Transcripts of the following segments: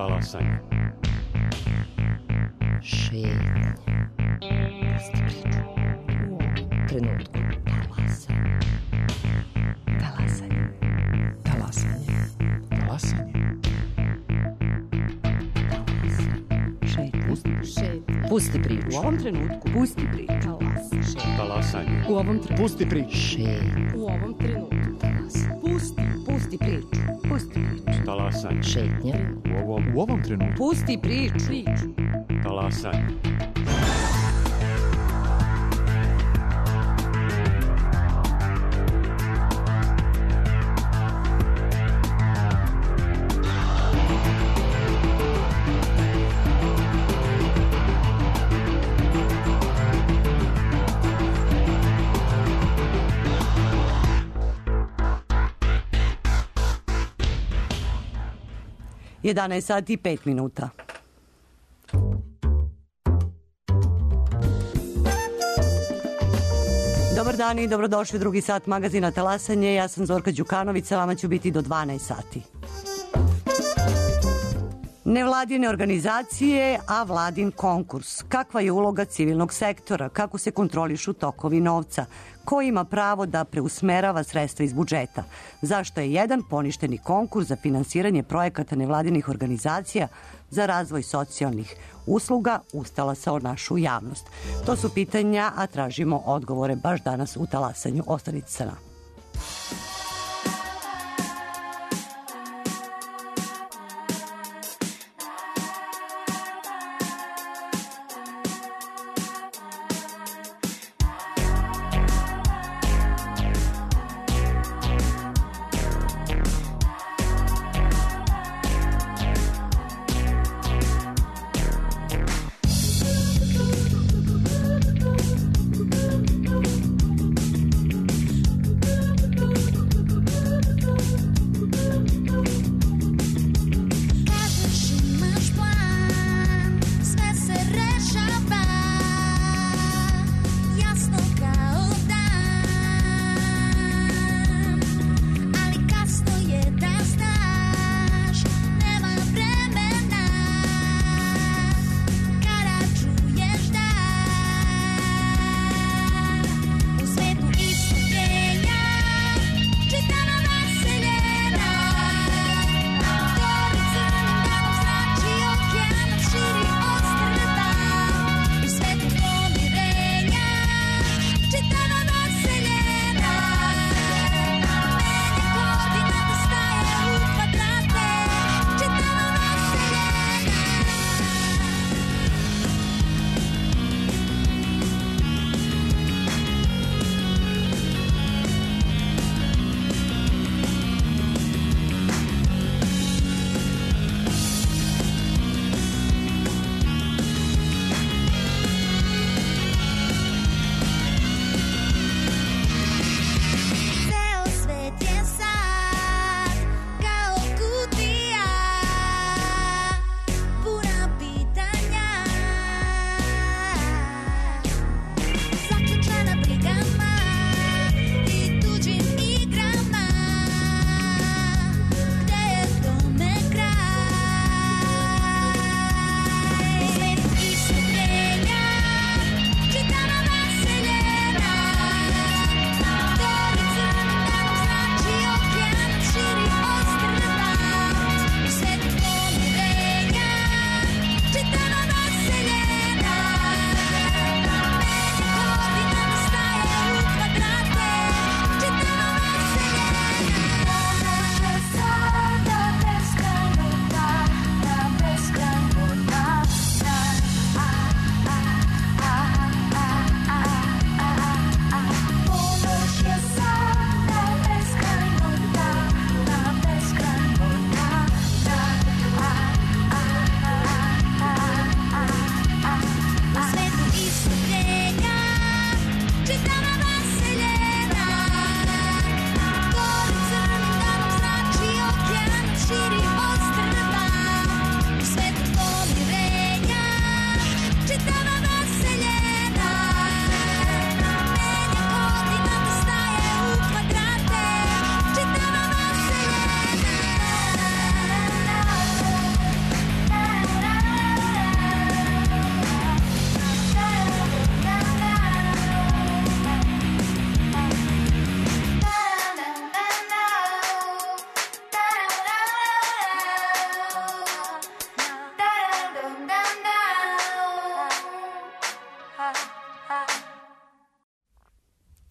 Talasanje. Šetnje. Pusti priču. U ovom trenutku. Talasanje. Talasanje. Talasanje. Šetnje. Pusti priču. U ovom trenutku. Pusti priču. Talasanje. U ovom trenutku. Pusti priču. Šetnje. U ovom trenutku. Pusti priču. Pusti priču. Talasanje. Šetnje. U ovom trenutku. Pusti priču. Talasanje. Jedanaest sati i 5 minuta. Dobar dan i dobrodošli u drugi sat magazina Talasanje. Ja sam Zorka Đukanović, sa vama ću biti do 12 sati. Nevladine organizacije, a vladin konkurs. Kakva je uloga civilnog sektora? Kako se kontrolišu tokovi novca? Ko ima pravo da preusmerava sredstva iz budžeta? Zašto je jedan poništeni konkurs za finansiranje projekata nevladinih organizacija za razvoj socijalnih usluga ustalasao našu javnost? To su pitanja, a tražimo odgovore baš danas u Talasanju. Ostanite sa nama.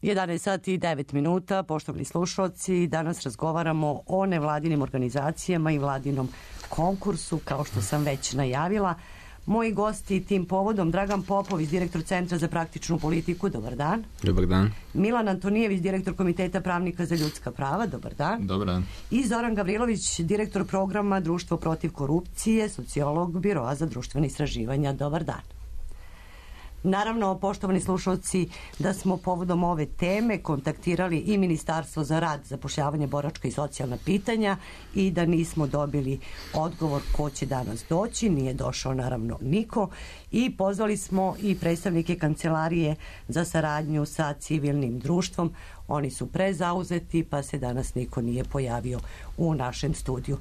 11 sati i 9 minuta, poštovani slušalci, danas razgovaramo o nevladinim organizacijama i vladinom konkursu, kao što sam već najavila. Moji gosti tim povodom, Dragan Popović, direktor Centra za praktičnu politiku, dobar dan. Dobar dan. Milan Antonijević, direktor Komiteta pravnika za ljudska prava, dobar dan. Dobar dan. I Zoran Gavrilović, direktor programa Društvo protiv korupcije, sociolog Biroa za društvene istraživanja, dobar dan. Naravno, poštovani slušalci, da smo povodom ove teme kontaktirali i Ministarstvo za rad, zapošljavanje, boračka i socijalna pitanja i da nismo dobili odgovor ko će danas doći, nije došao naravno niko, i pozvali smo i predstavnike Kancelarije za saradnju sa civilnim društvom. Oni su prezauzeti pa se danas niko nije pojavio u našem studiju.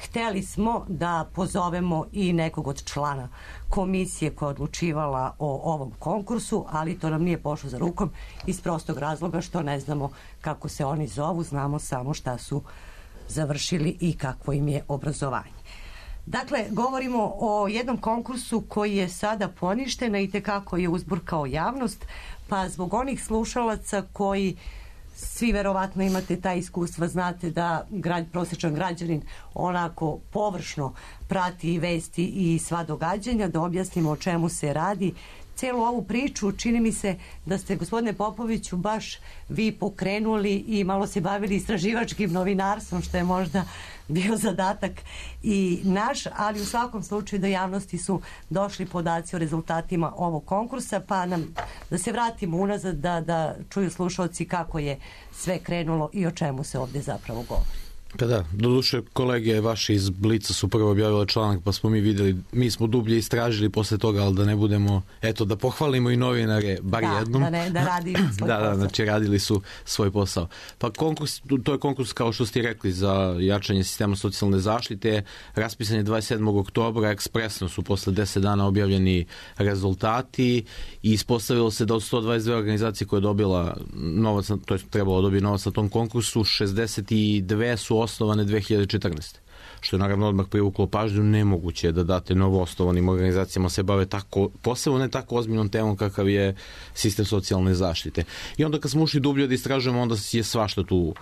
Hteli smo da pozovemo i nekog od člana komisije koja je odlučivala o ovom konkursu, ali to nam nije pošlo za rukom iz prostog razloga što ne znamo kako se oni zovu, znamo samo šta su završili i kakvo im je obrazovanje. Dakle, govorimo o jednom konkursu koji je sada poništen i tekako je uzburkao javnost, pa zbog onih slušalaca koji svi verovatno imate taj iskustva, znate da prosječan građanin onako površno prati vesti i sva događanja, da objasnimo o čemu se radi. Celu ovu priču čini mi se da ste, gospodine Popoviću, baš vi pokrenuli i malo se bavili istraživačkim novinarstvom, što je možda bio zadatak i naš, ali u svakom slučaju do javnosti su došli podaci o rezultatima ovog konkursa, pa nam da se vratimo unazad da čuju slušalci kako je sve krenulo i o čemu se ovdje zapravo govori. Pa da, doduše kolege vaši iz Blica su prvo objavile članak, pa smo mi videli, mi smo dublje istražili posle toga, ali da ne budemo, eto, da pohvalimo i novinare, bar jednom. Da radi svoj posao. Da, znači radili su svoj posao. Pa konkurs, to je konkurs, kao što ste rekli, za jačanje sistema socijalne zaštite, raspisan je 27. oktobra, ekspresno su posle 10 dana objavljeni rezultati i ispostavilo se da od 122 organizacije koje je dobila novac, to je trebalo dobiti novac na tom konkursu, 62 su osnovane 2014. Što je naravno odmah privuklo pažnju. Nemoguće je da date novo osnovanim organizacijama se bave tako, posebno ne tako ozbiljnom temom kakav je sistem socijalne zaštite. I onda kad smo ušli dublje da istražujemo, onda je svašta tu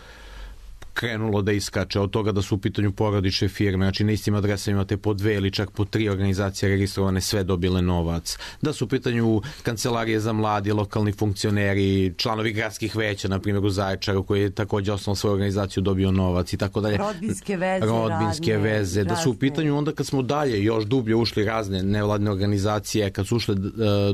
krenulo da iskače, od toga da su u pitanju porodične firme, znači na istim adresama imate po 2 ili čak po 3 organizacije registrovane, sve dobile novac, da su u pitanju kancelarije za mladi, lokalni funkcioneri, članovi gradskih veća, na primjer u Zaječaru, koji je također osnovno svoju organizaciju dobio novac i tako dalje. Rodbinske veze, da su u pitanju onda kad smo dalje još dublje ušli razne nevladne organizacije, kad su ušle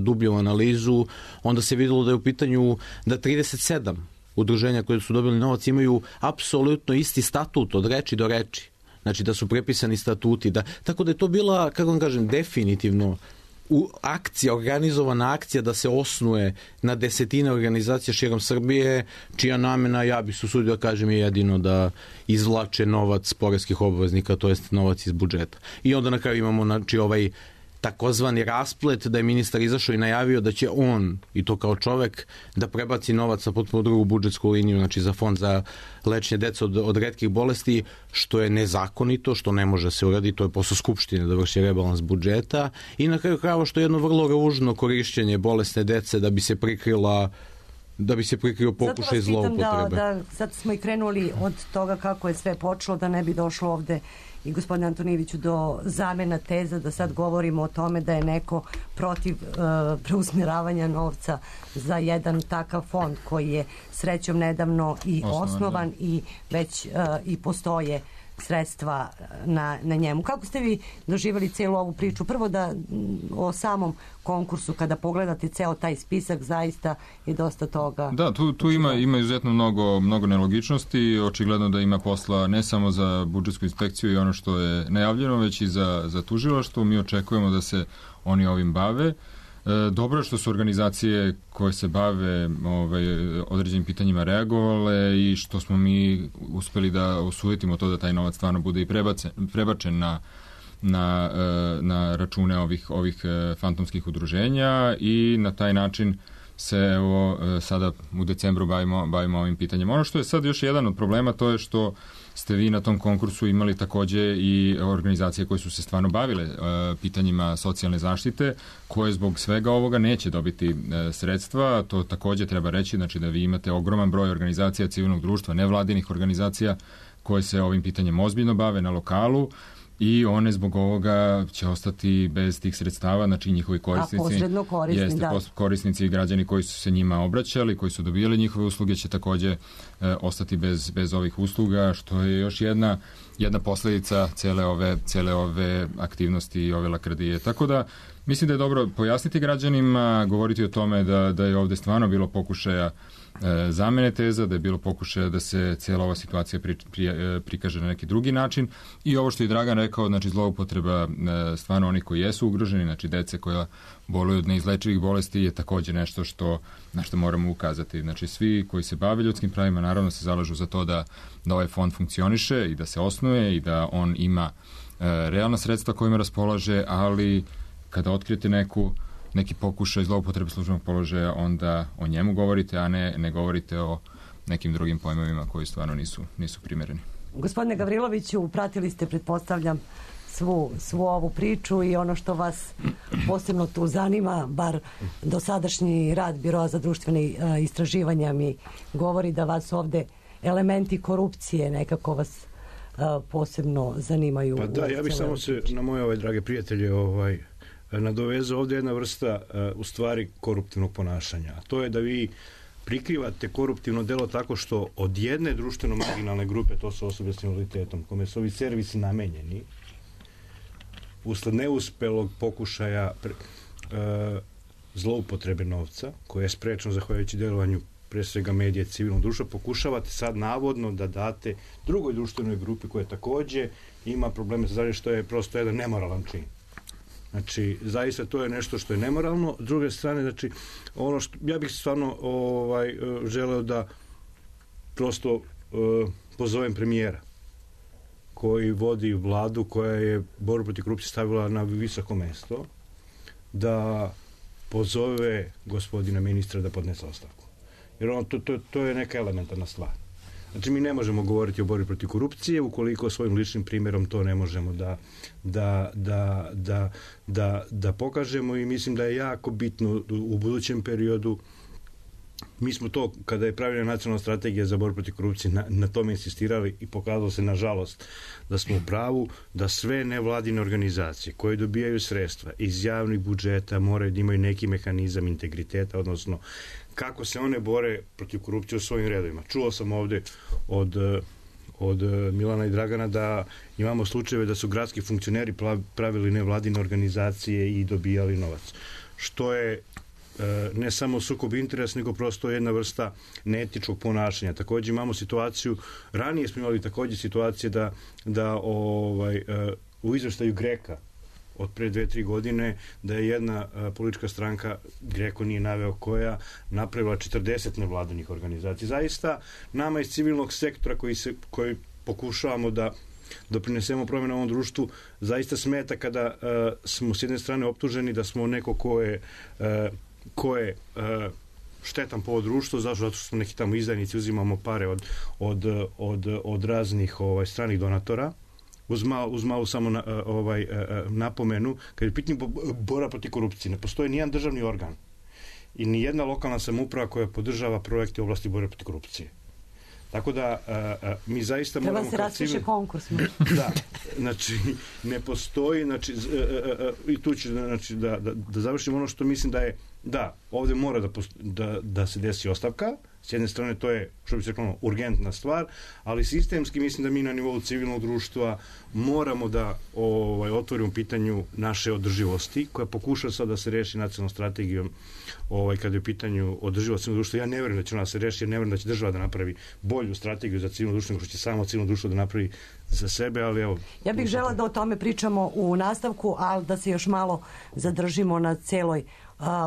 dublje u analizu, onda se vidjelo da je u pitanju da 37 udruženja koje su dobili novac imaju apsolutno isti statut od reči do reči. Znači da su prepisani statuti. Tako da je to bila, kako vam kažem, definitivno akcija, organizovana akcija da se osnuje na desetine organizacija širom Srbije, čija namena, ja bih se usudio da kažem, je jedino da izvlače novac poreskih obveznika, to jest novac iz budžeta. I onda na kraju imamo znači ovaj takozvani rasplet da je ministar izašao i najavio da će on, i to kao čovek, da prebaci novac na potpuno drugu budžetsku liniju, znači za fond za lečenje dece od retkih bolesti, što je nezakonito, što ne može se uraditi, to je posao Skupštine da vrši rebalans budžeta, i na kraju krajeva što je jedno vrlo ružno korišćenje bolesne dece da bi se prikrio pokušaj zloupotrebe. Zato smo i krenuli od toga kako je sve počelo, da ne bi došlo ovde i gospodine Antonijeviću do zamena teza, da sad govorimo o tome da je neko protiv preusmjeravanja novca za jedan takav fond koji je srećom nedavno i osnovan i već i postoje sredstva na njemu. Kako ste vi doživjeli cijelu ovu priču? Prvo da o samom konkursu, kada pogledate ceo taj spisak, zaista je dosta toga. Da, tu ima izuzetno mnogo nelogičnosti, očigledno da ima posla ne samo za budžetsku inspekciju i ono što je najavljeno, već i za tužilaštvo. Mi očekujemo da se oni ovim bave. Dobro je što su organizacije koje se bave određenim pitanjima reagovale i što smo mi uspeli da osudimo to da taj novac stvarno bude i prebačen na račune ovih fantomskih udruženja i na taj način se evo sada u decembru bavimo ovim pitanjem. Ono što je sad još jedan od problema, to je što ste vi na tom konkursu imali takođe i organizacije koje su se stvarno bavile pitanjima socijalne zaštite, koje zbog svega ovoga neće dobiti sredstva. To takođe treba reći, znači da vi imate ogroman broj organizacija civilnog društva, nevladinih organizacija koje se ovim pitanjem ozbiljno bave na lokalu, i one zbog ovoga će ostati bez tih sredstava, znači njihovi korisnici, korisnici i građani koji su se njima obraćali, koji su dobijali njihove usluge, će takođe ostati bez ovih usluga, što je još jedna posledica cele ove aktivnosti i ove lakrdije. Tako da mislim da je dobro pojasniti građanima, govoriti o tome da je ovde stvarno bilo pokušaja zamene teza, da je bilo pokušaja da se cijela ova situacija prikaže na neki drugi način, i ovo što je Dragan rekao, znači zloupotreba stvarno onih koji jesu ugroženi, znači dece koja boluju od neizlečivih bolesti, je takođe nešto na što moramo ukazati. Znači svi koji se bave ljudskim pravima naravno se zalažu za to da ovaj fond funkcioniše i da se osnuje i da on ima realna sredstva kojima raspolaže, ali kada otkrijete neki pokušaj zloupotrebe službenog položaja, onda o njemu govorite, a ne govorite o nekim drugim pojmovima koji stvarno nisu primereni. Gospodine Gavriloviću, pratili ste, pretpostavljam, svu ovu priču, i ono što vas posebno tu zanima, bar dosadašnji rad Biroa za društvene istraživanja mi govori da vas ovde elementi korupcije nekako vas posebno zanimaju. Pa da, ja bih samo se na moje drage prijatelje nadovezao. Ovde jedna vrsta u stvari koruptivnog ponašanja. To je da vi prikrivate koruptivno delo tako što od jedne društveno marginalne grupe, to su osobe s invaliditetom, kome su ovi servisi namenjeni, usled neuspelog pokušaja zloupotrebe novca, koje je sprečeno zahvaljujući delovanju pre svega medije civilnog društva, pokušavate sad navodno da date drugoj društvenoj grupi koja takođe ima probleme sa zdravljem, što je prosto jedan nemoralan čin. Znači, zaista to je nešto što je nemoralno. S druge strane, znači, ono što ja bih stvarno želeo da prosto pozovem premijera koji vodi vladu koja je borbu protiv korupcije stavila na visoko mesto, da pozove gospodina ministra da podnese ostavku. Jer to je neka elementarna stvar. Znači, mi ne možemo govoriti o borbi protiv korupcije ukoliko svojim ličnim primjerom to ne možemo da pokažemo, i mislim da je jako bitno u budućem periodu. Mi smo to, kada je pravljena nacionalna strategija za borbu protiv korupcije, na tome insistirali, i pokazalo se, nažalost, da smo u pravu, da sve nevladine organizacije koje dobijaju sredstva iz javnih budžeta moraju da imaju neki mehanizam integriteta, odnosno kako se one bore protiv korupcije u svojim redovima. Čuo sam ovde od Milana i Dragana da imamo slučajeve da su gradski funkcioneri pravili nevladine organizacije i dobijali novac. Što je ne samo sukob interesa, nego prosto jedna vrsta neetičkog ponašanja. Takođe imamo situaciju, ranije smo imali takođe situacije da u izveštaju GREKA od pre 2-3 godine, da je jedna politička stranka, GREKO nije naveo koja, napravila 40 nevladinih organizacija. Zaista, nama iz civilnog sektora koji pokušavamo da doprinesemo promjenu u ovom društvu, zaista smeta kada smo s jedne strane optuženi da smo neko ko je štetan po ovo društvo, zato što smo neki tamo izdajnici, uzimamo pare od raznih stranih donatora, uz malu samo napomenu, kad je pitanje borba protiv korupcije, ne postoji nijedan državni organ i nijedna lokalna samouprava koja podržava projekte u oblasti borbe protiv korupcije. Tako da mi zaista moramo... Treba se raspiše konkurs. Da, znači ne postoji, znači i tu ću da završim ono što mislim da je, da, ovde mora da se desi ostavka. S jedne strane to je, što bi se rekao, urgentna stvar, ali sistemski mislim da mi na nivou civilnog društva moramo da otvorimo pitanju naše održivosti, koja pokuša sad da se reši nacionalnom strategijom kada je u pitanju održivost civilnog društva. Ja ne verujem da će ona se reši, ja ne verujem da će država da napravi bolju strategiju za civilno društvo, nego što će samo civilno društvo da napravi za sebe, ali evo... Ja bih žela da o tome pričamo u nastavku, ali da se još malo zadržimo na celoj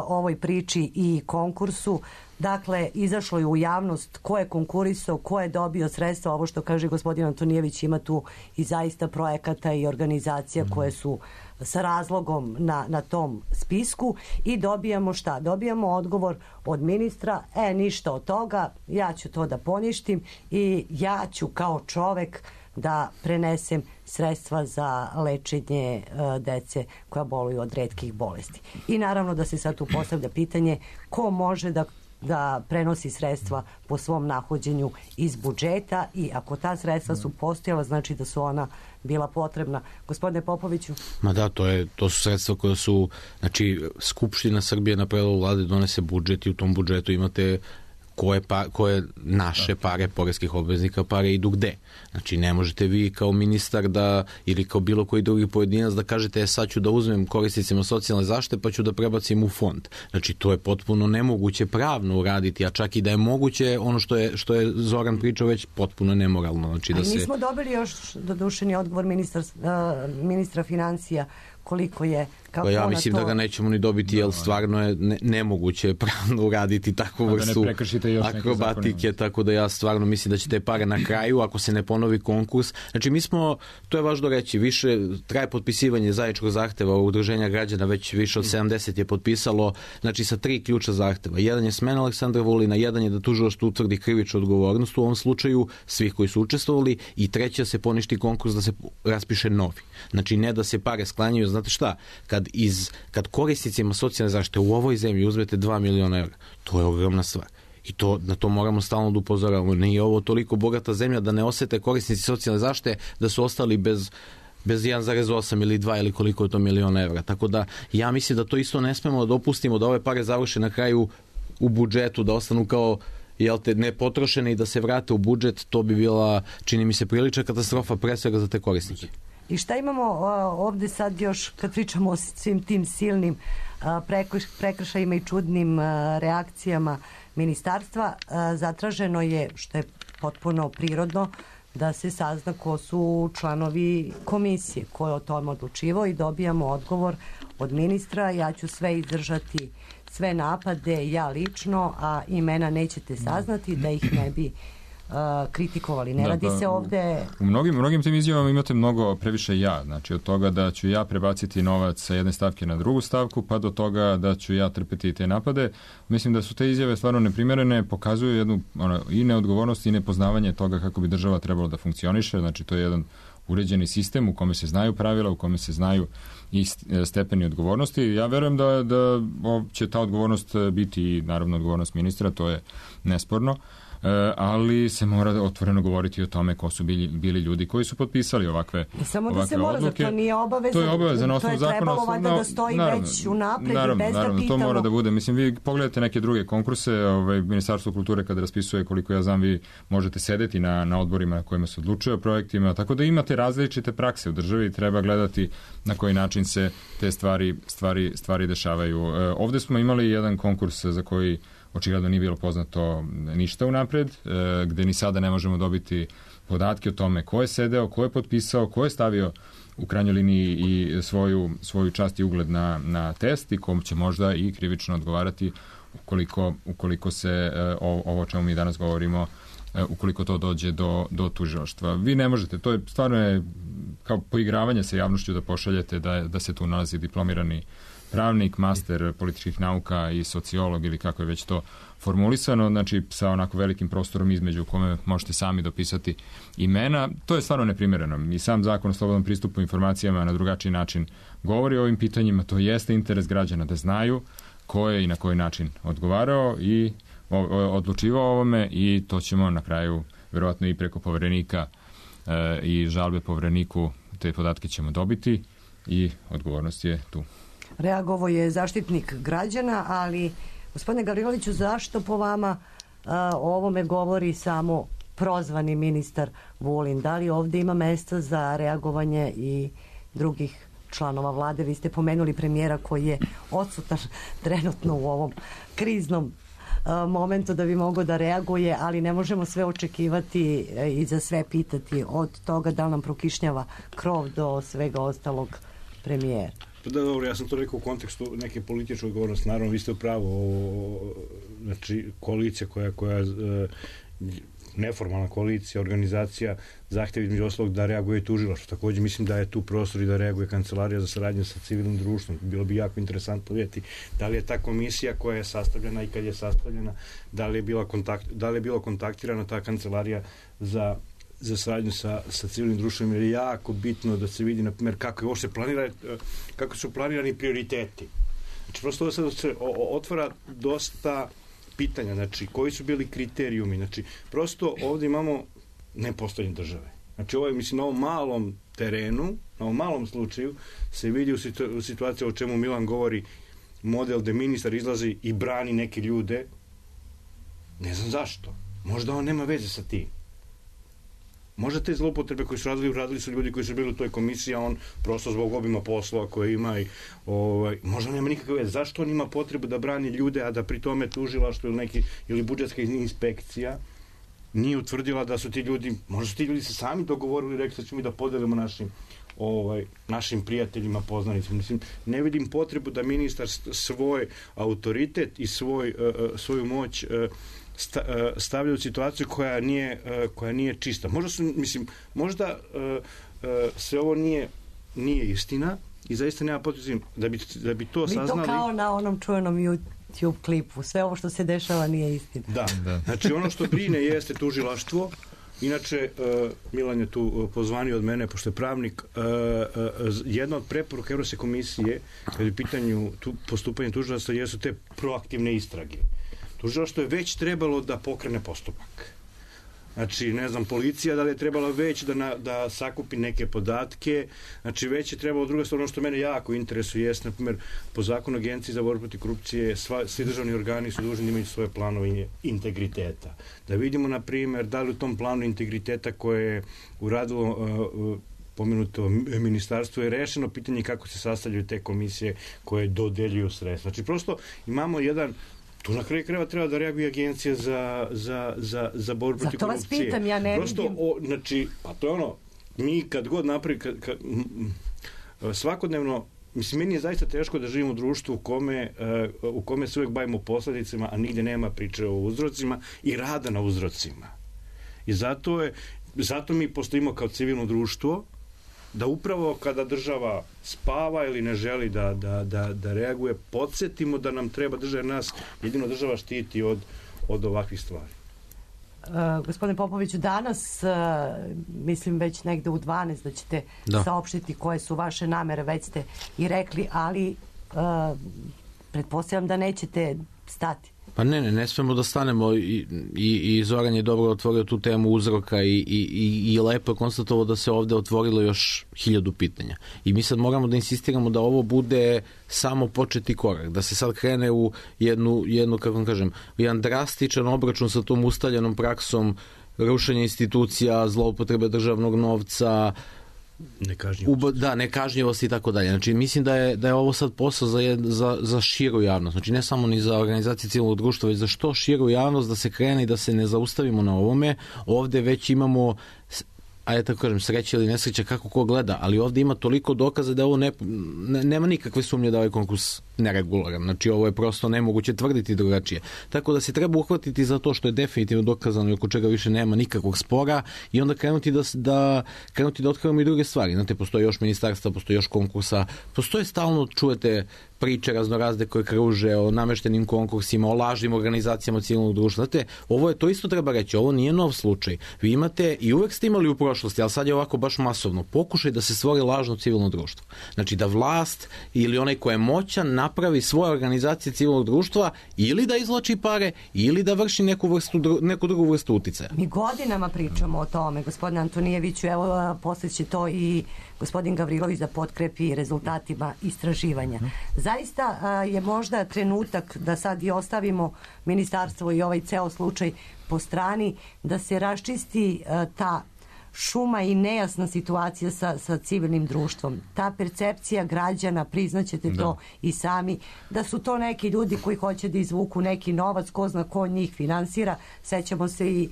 ovoj priči i konkursu. Dakle, izašlo je u javnost ko je konkurisao, ko je dobio sredstva. Ovo što kaže gospodin Antonijević, ima tu i zaista projekata i organizacija koje su sa razlogom na tom spisku i dobijamo šta? Dobijamo odgovor od ministra, ništa od toga, ja ću to da poništim i ja ću kao čovek da prenesem sredstva za lečenje dece koja boluju od retkih bolesti. I naravno da se sad tu postavlja pitanje ko može da prenosi sredstva po svom nahođenju iz budžeta i ako ta sredstva su postojala, znači da su ona bila potrebna. Gospodine Popoviću? Ma da, to su sredstva koja su, znači, Skupština Srbije na predlog vlade donese budžet i u tom budžetu imate koje naše pare, poreskih obveznika pare idu gde. Znači, ne možete vi kao ministar ili kao bilo koji drugi pojedinac da kažete sad ću da uzmem korisnicima socijalne zaštite pa ću da prebacim u fond. Znači, to je potpuno nemoguće pravno uraditi, a čak i da je moguće, ono što je Zoran pričao već potpuno nemoralno. Znači, nismo dobili još dodušeni odgovor ministra financija koliko je, kako ja mislim da ga nećemo ni dobiti, jer stvarno je nemoguće pravno uraditi takvu vrstu akrobatike, tako da ja stvarno mislim da će te pare na kraju, ako se ne ponovi konkurs. Znači to je važno reći, više traje potpisivanje zajedničkog zahteva udruženja građana, već više od 70 je potpisalo, znači sa 3 ključa zahteva. Jedan je smena Aleksandra Vulina, jedan je da tužilaštvo utvrdi krivičnu odgovornost u ovom slučaju svih koji su učestvovali i treće da se poništi konkurs, da se raspiše novi. Znači ne da se pare sklanjaju. Znate šta, kad korisnicima socijalne zaštite u ovoj zemlji uzmete 2 miliona evra, to je ogromna stvar. I na to moramo stalno da upozoravamo. Nije ovo toliko bogata zemlja da ne osete korisnici socijalne zaštite da su ostali bez 1,8 ili 2 ili koliko je to miliona evra. Tako da ja mislim da to isto ne smemo da dopustimo da ove pare završe na kraju u budžetu, da ostanu kao nepotrošene i da se vrate u budžet. To bi bila, čini mi se, prilična katastrofa pre svega za te korisnike. I šta imamo ovde sad još kad pričamo o svim tim silnim prekršajima i čudnim reakcijama ministarstva? Zatraženo je, što je potpuno prirodno, da se sazna ko su članovi komisije, ko je o tome odlučivao i dobijamo odgovor od ministra. Ja ću sve izdržati, sve napade, ja lično, a imena nećete saznati da ih ne bi kritikovali. Ne radi se ovde... U mnogim tim izjavama imate mnogo previše ja. Znači od toga da ću ja prebaciti novac sa jedne stavke na drugu stavku, pa do toga da ću ja trpeti te napade. Mislim da su te izjave stvarno neprimerene, pokazuju jednu i neodgovornost i nepoznavanje toga kako bi država trebalo da funkcioniše. Znači to je jedan uređeni sistem u kome se znaju pravila, u kome se znaju i stepeni odgovornosti. Ja verujem da će ta odgovornost biti i naravno odgovornost ministra, to je nesporno. Ali se mora otvoreno govoriti o tome ko su bili ljudi koji su potpisali ovakve odluke. Samo da se mora, to nije obaveza. To je obaveza na osnovu zakona. To je trebalo valjda da stoji već unapred i bez da pitamo. To mora da bude. Mislim, vi pogledate neke druge konkurse, Ministarstvo kulture kada raspisuje, koliko ja znam, vi možete sedeti na odborima na kojima se odlučuje o projektima, tako da imate različite prakse u državi i treba gledati na koji način se te stvari dešavaju. Ovde smo imali jedan konkurs za koji očigledno nije bilo poznato ništa unapred, gde ni sada ne možemo dobiti podatke o tome ko je sedeo, ko je potpisao, ko je stavio u krajnjoj liniji i svoju čast i ugled na test i kom će možda i krivično odgovarati ukoliko se ovo o čemu mi danas govorimo, ukoliko to dođe do tužilaštva. Vi ne možete, to je stvarno kao poigravanje sa javnošću da pošaljete da se tu nalazi diplomirani pravnik, master političkih nauka i sociolog ili kako je već to formulisano, znači sa onako velikim prostorom između u kome možete sami dopisati imena. To je stvarno neprimjereno. I sam zakon o slobodnom pristupu informacijama na drugačiji način govori o ovim pitanjima. To jeste interes građana da znaju ko je i na koji način odgovarao i odlučivao o ovome i to ćemo na kraju verovatno i preko poverenika i žalbe povereniku te podatke ćemo dobiti i odgovornost je tu. Reagovao je Zaštitnik građana, ali gospodine Gavriloviću, zašto po vama o ovome govori samo prozvani ministar Vulin? Da li ovde ima mesta za reagovanje i drugih članova vlade? Vi ste pomenuli premijera koji je odsutan trenutno u ovom kriznom momentu da bi mogao da reaguje, ali ne možemo sve očekivati i za sve pitati, od toga da li nam prokišnjava krov do svega ostalog premijera. Da, dobro, ja sam to rekao u kontekstu neke političke odgovornosti. Naravno, vi ste u pravu. Znači, koalicija koja neformalna koalicija, organizacija zahteva između ostalog da reaguje tužilaštvo. Takođe mislim da je tu prostor i da reaguje Kancelarija za saradnju sa civilnim društvom. Bilo bi jako interesantno vidjeti da li je ta komisija koja je sastavljena i kad je sastavljena, da li je bila kontaktirana ta Kancelarija za saradnju sa civilnim društvom, jer je jako bitno da se vidi, na primjer, kako su planirani prioriteti. Znači, prosto sad se otvara dosta pitanja, znači, koji su bili kriterijumi, znači, prosto ovdje imamo nepostojanje države. Znači, ovo je, mislim, na ovom malom terenu, na ovom malom slučaju, se vidi u situaciji o čemu Milan govori, model gde ministar izlazi i brani neke ljude, ne znam zašto. Možda on nema veze sa tim. Možda te zloupotrebe koje su radili su ljudi koji su bili u toj komisiji, a on prosto zbog obima posla koje ima i možda nema nikakve veze. Zašto on ima potrebu da brani ljude, a da pri tome tužilaštvo ili budžetska inspekcija nije utvrdila da su ti ljudi, možda su ti ljudi se sami dogovorili i rekli da ćemo da podelimo našim prijateljima, poznanicima. Mislim, ne vidim potrebu da ministar svoj autoritet i svoju moć stavlja u situaciju koja nije čista. Možda sve ovo nije istina i zaista nema potrebe da bi to saznali. Mi to kao na onom čuvenom YouTube klipu. Sve ovo što se dešava nije istina. Da. Znači ono što brine jeste tužilaštvo. Inače, Milan je tu pozvanio od mene, pošto je pravnik, jedna od preporuka Evropske komisije kada je u pitanju postupanje tužilaštva jesu te proaktivne istrage. Tužilaštvo je već trebalo da pokrene postupak. Znači, ne znam, policija da li je trebala već da sakupi neke podatke, znači već je trebalo, druga stvar, ono što mene jako interesuje jeste, na primjer, po zakonu Agenciji za borbu protiv korupcije, svi državni organi su dužni da imaju svoje planove integriteta. Da vidimo, na primjer, da li u tom planu integriteta koje je uradilo pomenuto ministarstvo je rešeno pitanje kako se sastavljaju te komisije koje dodeljuju sredstva. Znači, prosto imamo jedan. Tu na kraju krajeva treba da reaguje Agencija za borbu protiv korupcije. Zato vas pitam, ja ne vidim. Znači, pa to je ono, mi kad god napravi, svakodnevno, mislim, meni je zaista teško da živim u društvu u kome se uvek bavimo posledicama, a nigde nema priče o uzrocima i rada na uzrocima. I zato mi postojimo kao civilno društvo, da upravo kada država spava ili ne želi da reaguje, podsjetimo da nam treba država, jer nas jedino država štiti od ovakvih stvari. Gospodine Popoviću, danas, mislim već negde u 12 da ćete saopštiti koje su vaše namere, već ste i rekli, ali pretpostavljam da nećete stati. Pa ne smemo da stanemo i Zoran je dobro otvorio tu temu uzroka i lepo je konstatovao da se ovde otvorilo još 1000 pitanja. I mi sad moramo da insistiramo da ovo bude samo početi korak, da se sad krene u jednu kako vam kažem, jedan drastičan obračun sa tom ustaljenom praksom rušenja institucija, zloupotrebe državnog novca, nekažnjivost i tako dalje. Znači, mislim da je ovo sad posao za širu javnost. Znači, ne samo ni za organizacije civilnog društva, već za što širu javnost da se krene i da se ne zaustavimo na ovome. Ovde već imamo, ajde tako kažem, sreća ili nesreća kako ko gleda, ali ovde ima toliko dokaza da ovo nema nikakve sumnje da ovaj konkurs neregularan. Znači, ovo je prosto nemoguće tvrditi drugačije. Tako da se treba uhvatiti za to što je definitivno dokazano i oko čega više nema nikakvog spora i onda krenuti da otkrivamo i druge stvari. Znate, postoje još ministarstva, postoje još konkursa, postoje stalno, čujete priče raznorazne koje kruže o nameštenim konkursima, o lažnim organizacijama civilnog društva. Znate, to isto treba reći, ovo nije nov slučaj. Vi imate i uvek ste imali u prošlosti, ali sad je ovako baš masovno, pokušaj da se stvori lažno civilno društvo. Znači da vlast ili onaj ko je moćan napravi svoje organizacije civilnog društva ili da izvlači pare ili da vrši neku drugu vrstu uticaja. Mi godinama pričamo o tome, gospodine Antonijeviću, evo posle će to i gospodin Gavrilović da potkrepi rezultatima istraživanja. Zaista je možda trenutak da sad i ostavimo ministarstvo i ovaj ceo slučaj po strani, da se raščisti ta šuma i nejasna situacija sa civilnim društvom. Ta percepcija građana, priznaćete to i sami, da su to neki ljudi koji hoće da izvuku neki novac, ko zna ko njih finansira. Sećamo se i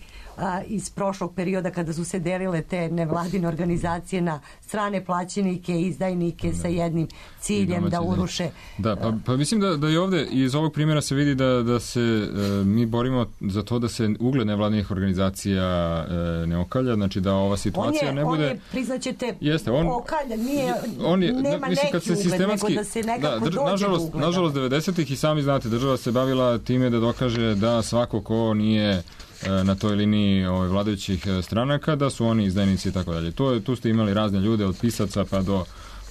iz prošlog perioda kada su se delile te nevladine organizacije na strane plaćenike i izdajnike sa jednim ciljem da uruše. Da, pa mislim da i ovde iz ovog primjera se vidi da se mi borimo za to da se ugled nevladinih organizacija ne okalja, znači da ova situacija ne bude... On je, priznaćete, okalja, nema mislim, neki ugled, nego da se nekako dođe do ugleda. Nažalost, 90-ih i sami znate, država se bavila time da dokaže da svako ko nije na toj liniji vladajućih stranaka, da su oni izdajnici i tako dalje. Tu ste imali razne ljude, od pisaca pa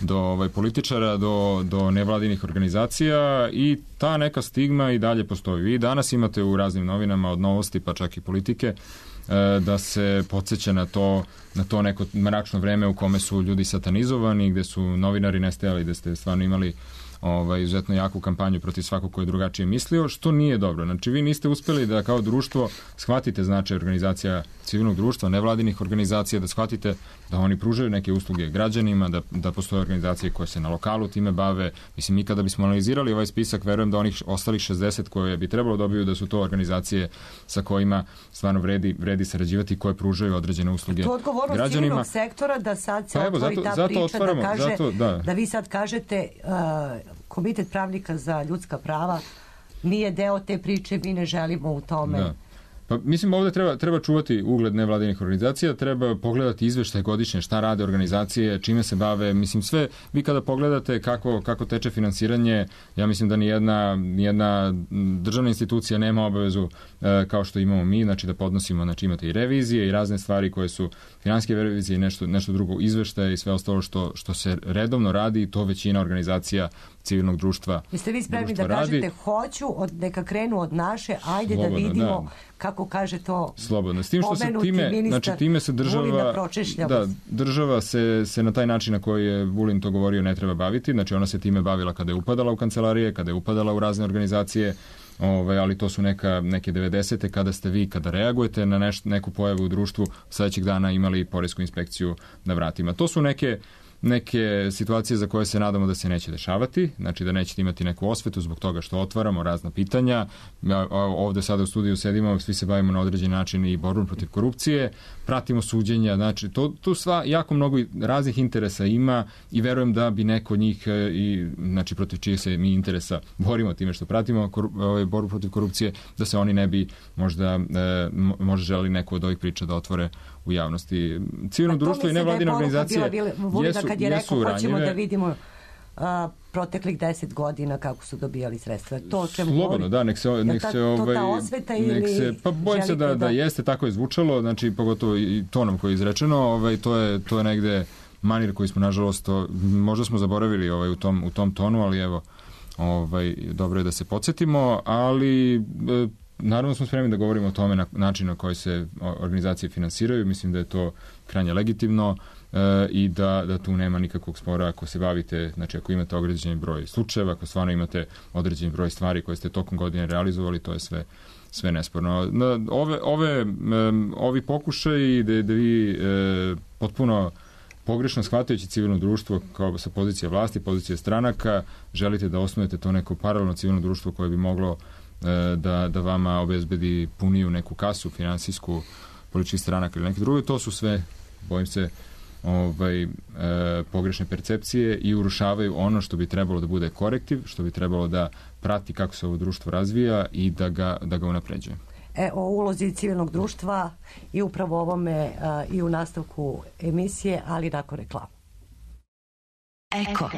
do političara, do nevladinih organizacija i ta neka stigma i dalje postoji. Vi danas imate u raznim novinama od Novosti pa čak i Politike da se podsjeća na to neko mračno vreme u kome su ljudi satanizovani, gde su novinari nestajali, gde ste stvarno imali izuzetno jaku kampanju protiv svakog ko je drugačije mislio, što nije dobro. Znači, vi niste uspeli da kao društvo shvatite značaj organizacija civilnog društva, nevladinih organizacija, da shvatite da oni pružaju neke usluge građanima, da postoje organizacije koje se na lokalu time bave. Mislim, mi kada bismo analizirali ovaj spisak, verujem da onih ostalih 60 koje bi trebalo dobiju da su to organizacije sa kojima stvarno vredi sarađivati, koje pružaju određene usluge građanima. To odgovornost civilnog sektora da sad se otvori ta priča, da vi sad kažete Komitet pravnika za ljudska prava nije deo te priče, mi ne želimo u tome. Da. Pa mislim, ovde treba čuvati ugled nevladinih organizacija, treba pogledati izveštaj godišnje, šta rade organizacije, čime se bave, mislim sve, vi kada pogledate kako teče finansiranje, ja mislim da nijedna državna institucija nema obavezu kao što imamo mi, znači da podnosimo, znači imate i revizije i razne stvari koje su finansijske revizije i nešto drugo, izveštaje i sve ostalo što se redovno radi, to većina organizacija civilnog društva. Jeste vi spremni da kažete hoću, neka krenu od naše, ajde slobodno, da vidimo kako kaže to slobodno. S tim što se time se država se na taj način na koji je Vulin to govorio ne treba baviti, znači ona se time bavila kada je upadala u kancelarije, kada je upadala u razne organizacije, ali to su neke 90. kada reagujete na neku pojavu u društvu, sledećeg dana imali poresku inspekciju na vratima. To su neke situacije za koje se nadamo da se neće dešavati, znači da nećete imati neku osvetu zbog toga što otvaramo razna pitanja. Ovde sada u studiju sedimo, svi se bavimo na određen način i borbom protiv korupcije, pratimo suđenja, znači tu sva jako mnogo raznih interesa ima i verujem da bi neko od njih, znači protiv čijih se mi interesa borimo time što pratimo borbu protiv korupcije, da se oni ne bi možda želi neku od ovih priča da otvore u javnosti. Civilno društvo i nevladine organizacije jesu ranjive. Hoćemo da vidimo proteklih 10 godina kako su dobijali sredstva. To o čemu slobodno, da, nek se ta osveta ili pa bojim se da jeste, tako je zvučalo, znači pogotovo i tonom koji je izrečeno, to je negde manir koji smo nažalost možda smo zaboravili u tom tonu, ali evo dobro je da se podsjetimo, ali naravno smo spremni da govorimo o tome na način na koji se organizacije finansiraju. Mislim da je to krajnje legitimno i da tu nema nikakvog spora ako se bavite, znači ako imate određeni broj slučajeva, ako stvarno imate određeni broj stvari koje ste tokom godine realizovali, to je sve nesporno. Ovi pokušaji da vi potpuno pogrešno shvatajući civilno društvo kao sa pozicije vlasti, pozicije stranaka, želite da osnujete to neko paralelno civilno društvo koje bi moglo da vama obezbedi puniju neku kasu finansijsku političkih stranaka ili neke druge, to su sve, bojim se, pogrešne percepcije i urušavaju ono što bi trebalo da bude korektiv, što bi trebalo da prati kako se ovo društvo razvija i da ga unapređuje. O ulozi civilnog društva i upravo ovome i u nastavku emisije, ali nakon reklama. Eko.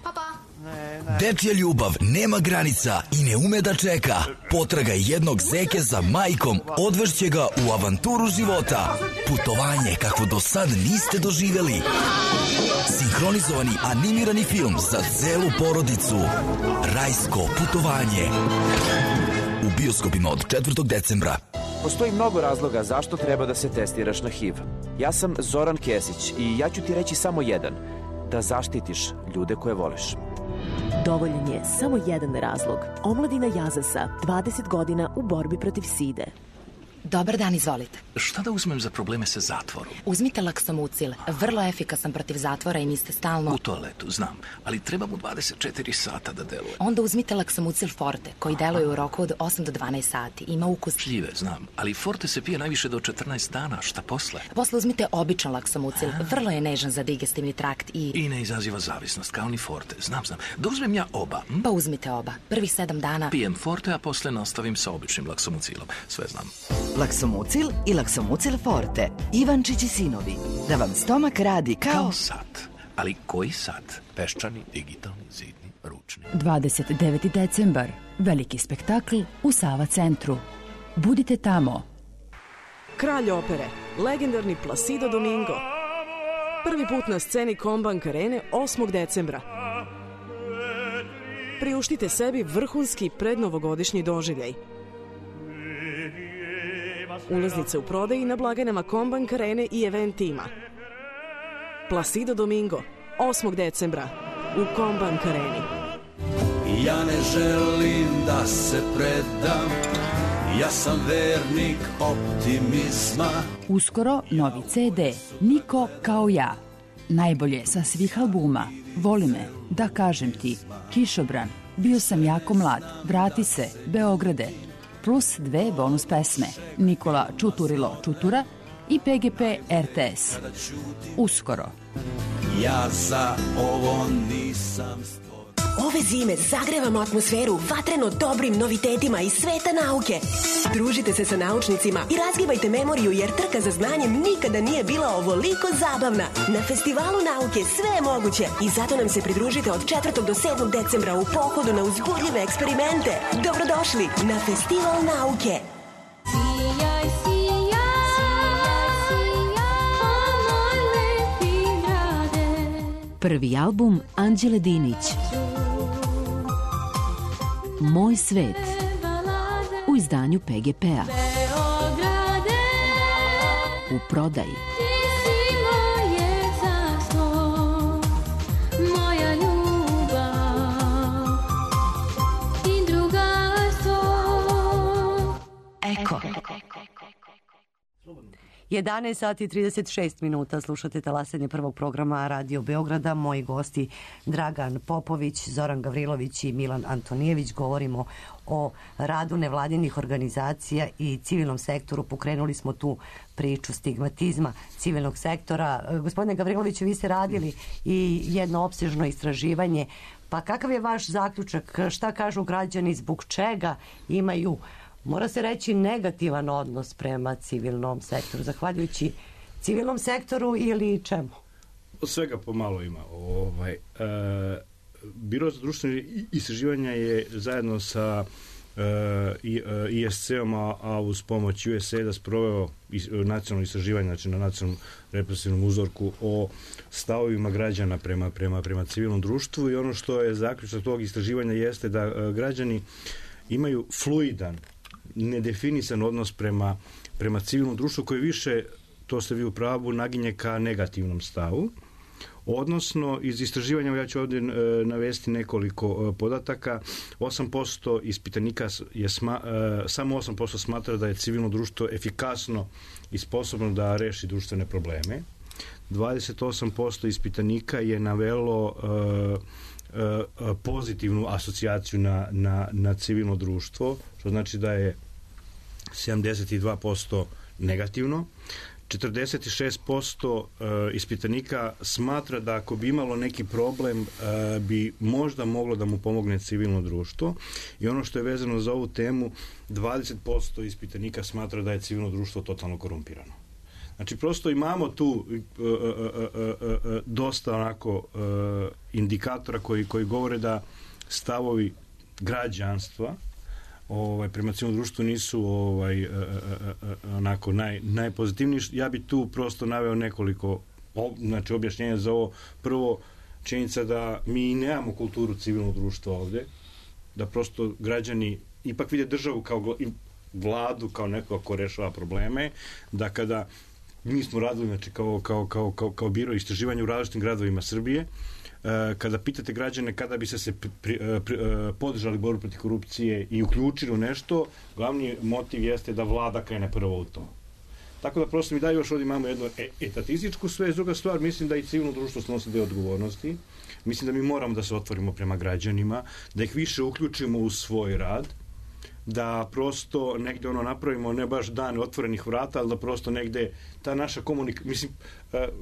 Papa. Dečja ljubav nema granica i ne ume da čeka. Potraga jednog zeke za majkom odvešće ga u avanturu života. Putovanje kakvo do sad niste doživjeli. Sinhronizovani animirani film za celu porodicu. Rajsko putovanje. U bioskopima od 4. decembra. Postoji mnogo razloga zašto treba da se testiraš na HIV. Ja sam Zoran Kesić i ja ću ti reći samo jedan. Da zaštitiš ljude koje voliš. Dovoljan je samo jedan razlog. Omladina Jazasa, 20 godina u borbi protiv side. Dobar dan, izvolite. Šta da uzmem za probleme sa zatvorom? Uzmite Laksomucil, vrlo efikasan protiv zatvora i niste stalno... U toaletu, znam, ali treba mu 24 sata da deluje. Onda uzmite Laksomucil Forte, koji deluje u roku od 8 do 12 sati. Ima ukus... Šljive, znam, ali Forte se pije najviše do 14 dana, šta posle? Posle uzmite običan Laksomucil, vrlo je nežan za digestivni trakt i... I ne izaziva zavisnost, kao ni Forte, znam. Da uzmem ja oba? Pa uzmite oba, prvih 7 dana... Pijem Forte, a posle nastavim sa običnim Laksomucilom, sve znam. Laksomucil i Laksomucil Forte. Ivančić i sinovi. Da vam stomak radi kao sat. Ali koji sat? Peščani, digitalni, zidni, ručni. 29. decembar. Veliki spektakl u Sava centru. Budite tamo. Kralj opere, legendarni Placido Domingo. Prvi put na sceni Combank Arene 8. decembra. Priuštite sebi vrhunski prednovogodišnji doživljaj. Ulaznice u prodaji na blagajnama Combank Arene i Event tima. Placido Domingo, 8. decembra u Combank Areni. Ja ne želim da se predam, ja sam vernik optimizma. Uskoro novi CD, Niko kao ja. Najbolje sa svih albuma. Voli me, da kažem ti, Kišobran, bio sam jako mlad, vrati se, Beograde. Plus 2 bonus pesme, Nikola Čuturilo Čutura i PGP RTS. Uskoro. Ja za ovo nisam stvoren. Ove zime zagrevamo atmosferu vatreno dobrim novitetima iz sveta nauke. Družite se sa naučnicima i razgibajte memoriju jer trka za znanjem nikada nije bila ovoliko zabavna. Na Festivalu nauke sve je moguće i zato nam se pridružite od 4. do 7. decembra u pohodu na uzbudljive eksperimente. Dobrodošli na Festival nauke. Sijaj, Prvi album Anđele Dinić. Moj svet. U izdanju PGP-a. U prodaji. Eko. 11 sati i 36 minuta, slušate talasanje prvog programa Radio Beograda. Moji gosti Dragan Popović, Zoran Gavrilović i Milan Antonijević. Govorimo o radu nevladinih organizacija i civilnom sektoru. Pokrenuli smo tu priču stigmatizma civilnog sektora. Gospodine Gavriloviću, vi ste radili i jedno opsežno istraživanje. Pa kakav je vaš zaključak? Šta kažu građani, zbog čega imaju, mora se reći, negativan odnos prema civilnom sektoru, zahvaljujući civilnom sektoru ili čemu? Od svega pomalo ima. Biro za društvene istraživanja je zajedno sa ISC-om, a uz pomoć USAID-a sproveo nacionalno istraživanje, znači na nacionalnom represivnom uzorku o stavovima građana prema civilnom društvu, i ono što je zaključak tog istraživanja jeste da građani imaju fluidan, nedefinisan odnos prema civilnom društvu, koji više, to ste vi u pravu, naginje ka negativnom stavu. Odnosno, iz istraživanja, ja ću ovdje navesti nekoliko podataka, 8% ispitanika samo 8% smatra da je civilno društvo efikasno i sposobno da reši društvene probleme. 28% ispitanika je navelo pozitivnu asocijaciju na civilno društvo, što znači da je 72% negativno. 46% ispitanika smatra da ako bi imalo neki problem bi možda moglo da mu pomogne civilno društvo, i ono što je vezano za ovu temu, 20% ispitanika smatra da je civilno društvo totalno korumpirano. Znači, prosto imamo tu dosta onako indikatora koji govore da stavovi građanstva prema civilnom društvu nisu onako najpozitivniji. Ja bi tu prosto naveo nekoliko objašnjenja za ovo. Prvo, činjenica da mi nemamo kulturu civilnog društva ovde, da prosto građani ipak vide državu kao i vladu kao neko ko rešava probleme, da kada mi smo radili, znači, kao biro istraživanja u različitim gradovima Srbije, kada pitate građane kada bi se podržali borbu protiv korupcije i uključili u nešto, glavni motiv jeste da vlada krene prvo u to. Tako da prosto mi da još ovdje imamo jednu etatističku sve. Druga stvar, mislim da i civilno društvo snosi deo odgovornosti. Mislim da mi moramo da se otvorimo prema građanima, da ih više uključimo u svoj rad, da prosto negde napravimo ne baš dan otvorenih vrata, ali da prosto negde ta naša komunikacija, mislim,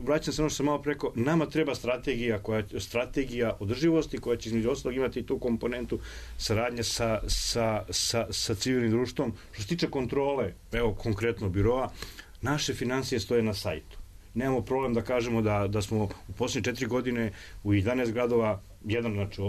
vraćam se ono što sam malo preko, nama treba strategija održivosti koja će između ostalog imati tu komponentu saradnje sa civilnim društvom. Što se tiče kontrole, evo konkretno biroa, naše financije stoje na sajtu. Nemamo problem da kažemo da smo u posljednje 4 godine u 11 gradova znači